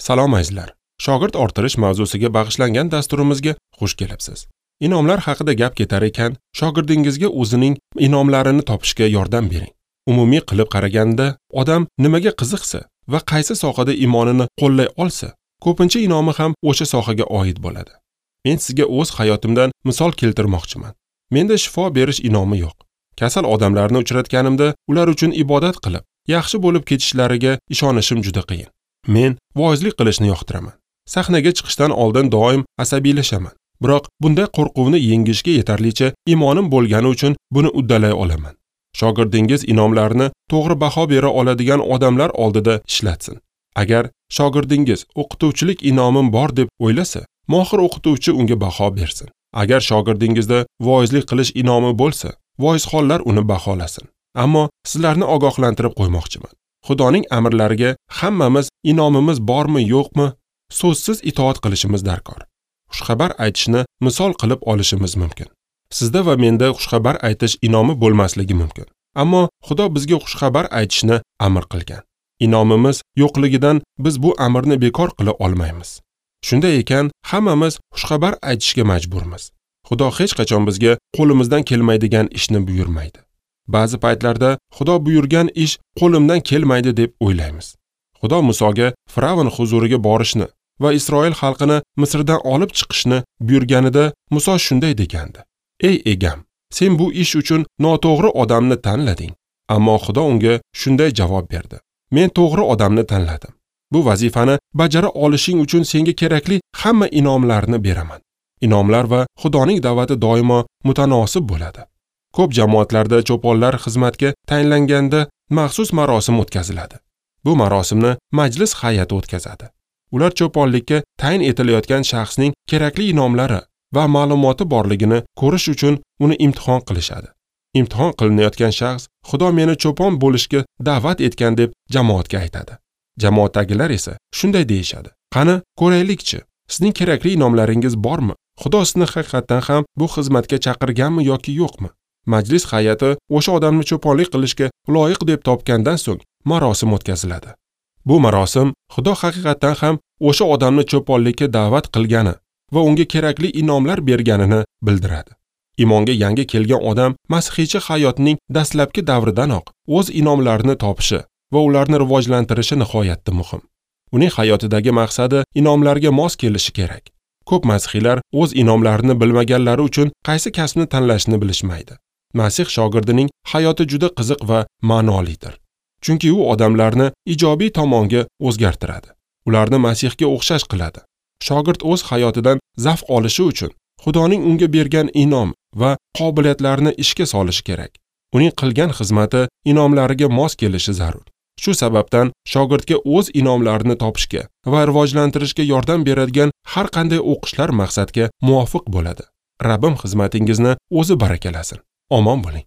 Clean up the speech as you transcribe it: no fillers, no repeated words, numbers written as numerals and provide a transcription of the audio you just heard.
Salom azizlar. Shogird orttirish mavzusiga bag'ishlangan dasturimizga xush kelibsiz. Inomlar haqida gap ketar ekan, shogirdingizga o'zining inomlarini topishga yordam bering. Umumiy qilib qaraganda, odam nimaga qiziqsa va qaysi sohada imonini qo'llay olsa, ko'pincha inomi ham o'sha sohaga oid bo'ladi. Men sizga o'z hayotimdan misol keltirmoqchiman. Menda shifo berish inomi yo'q. Kasal odamlarni uchratganimda ular uchun ibodat qilib, yaxshi bo'lib ketishlariga ishonishim juda qiyin. Men voizlik qilishni yoqtiraman. Sahnaga chiqishdan oldin doim asabiylashaman. Biroq bunday qo'rquvni yengishga yetarlicha imonim bo'lgani uchun buni uddalay olaman. Shogirdingiz inomlarni to'g'ri baho bera oladigan odamlar oldida ishlatsin. Agar shogirdingiz o'qituvchilik inomim bor deb o'ylasa, mohir o'qituvchi unga baho bersin. Agar shogirdingizda voizlik qilish inomi bo'lsa, voizxonlar uni baholasin. Ammo sizlarni ogohlantirib qo'ymoqchiman. Xudoning amrlariga hammamiz inomimiz bormi yo'qmi so'zsiz itoat qilishimiz darkor. Xushxabar aytishni misol qilib olishimiz mumkin. Sizda va menda xushxabar aytish inomi bo'lmasligi mumkin. Ammo Xudo bizga xushxabar aytishni amr qilgan. Inomimiz yo'qligidan biz bu amrni bekor qila olmaymiz. Shunday ekan, hammamiz xushxabar aytishga majburmiz. Xudo hech qachon bizga qo'limizdan kelmaydigan ishni buyurmaydi. Ba'zi paytlarda Xudo buyurgan ish qo'limdan kelmaydi deb o'ylaymiz. Xudo Musoga Firavn huzuriga borishni va Isroil xalqini Misrdan olib chiqishni buyurganida Muso shunday degandi: "Ey egam, sen bu ish uchun noto'g'ri odamni tanlading." Ammo Xudo unga shunday javob berdi: "Men to'g'ri odamni tanladim. Bu vazifani bajara olishing uchun senga kerakli hamma inomlarni beraman." Inomlar va Xudoning da'vati doimo mutanosib bo'ladi. Ko'p jamoatlarda cho'ponlar xizmatga tayinlanganda maxsus marosim o'tkaziladi. Bu marosimni majlis hay'ati o'tkazadi. Ular cho'ponlikka tayin etilayotgan shaxsning kerakli inomlari va ma'lumoti borligini ko'rish uchun uni imtihon qilishadi. Imtihon qilinayotgan shaxs Xudo meni cho'pon bo'lishga da'vat etgan deb jamoatga aytadi. Jamoatdagilar esa shunday deyishadi: "Qani, ko'raylikchi, sizning kerakli inomlaringiz bormi? Xudo sizni haqiqatan ham bu xizmatga chaqirganmi yoki yo'qmi?" Majlis hay'ati o'sha odamni cho'ponlik qilishga loyiq deb topgandan so'ng marosim o'tkaziladi. Bu marosim Xudo haqiqatan ham o'sha odamni cho'ponlikka da'vat qilgani va unga kerakli inomlar berganini bildiradi. Imonga yangi kelgan odam masihiychi hayotining dastlabki davridanoq o'z inomlarini topishi va ularni rivojlantirishi nihoyatda muhim. Uning hayotidagi maqsadi inomlarga mos kelishi kerak. Ko'p masihiylar o'z inomlarini bilmaganlari uchun qaysi kasbni tanlashni bilishmaydi. Masih shogirdining hayoti juda qiziq va ma'nolidir. Chunki u odamlarni ijobiy tomonga o'zgartiradi. Ularni Masihga o'xshash qiladi. Shogird o'z hayotidan zavq olishi uchun Xudoning unga bergan inom va qobiliyatlarini ishga solishi kerak. Uning qilgan xizmati inomlariga mos kelishi zarur. Shu sababdan shogirdga o'z inomlarini topishga va rivojlantirishga yordam beradigan har qanday o'qishlar maqsadga muvofiq bo'ladi. Rabbim xizmatingizni o'zi barakalasin. Omon bo'ling.